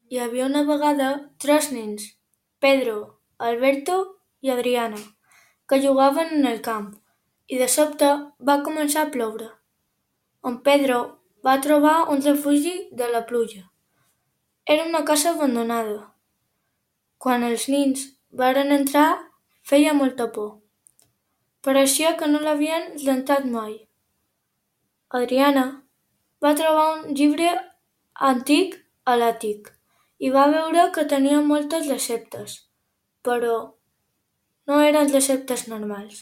Hi havia una vegada tres nens, Pedro, Alberto i Adriana, que jugaven en el camp, i de sobte va començar a ploure. En Pedro va trobar un refugi de la pluja. Era una casa abandonada. Quan els nens varen entrar, feia molta por. Pareixia que no l'havien rentat mai. Adriana va trobar un llibre antic a l'àtic i va veure que tenia moltes receptes, però no eren receptes normals.